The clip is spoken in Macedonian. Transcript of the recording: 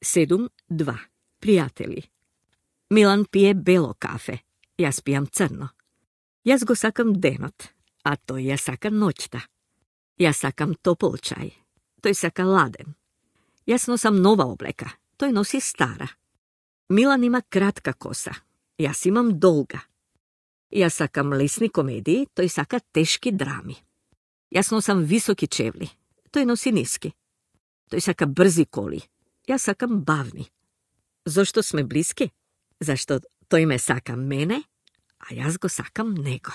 7.2. Пријатели. Милан пие бело кафе, јас пијам црно. Јас го сакам денот, а тој ја сака ноќта. Јас сакам топол чај, тој сака ладен. Јас носам нова облека, тој носи стара. Милан има кратка коса, јас имам долга. Јас сакам лесни комедии, тој сака тешки драми. Јас носам високи чевли, тој носи ниски. Тој сака брзи коли, јас сакам бавни. Зошто сме блиски? Зашто тој ме сака мене, а јас го сакам него.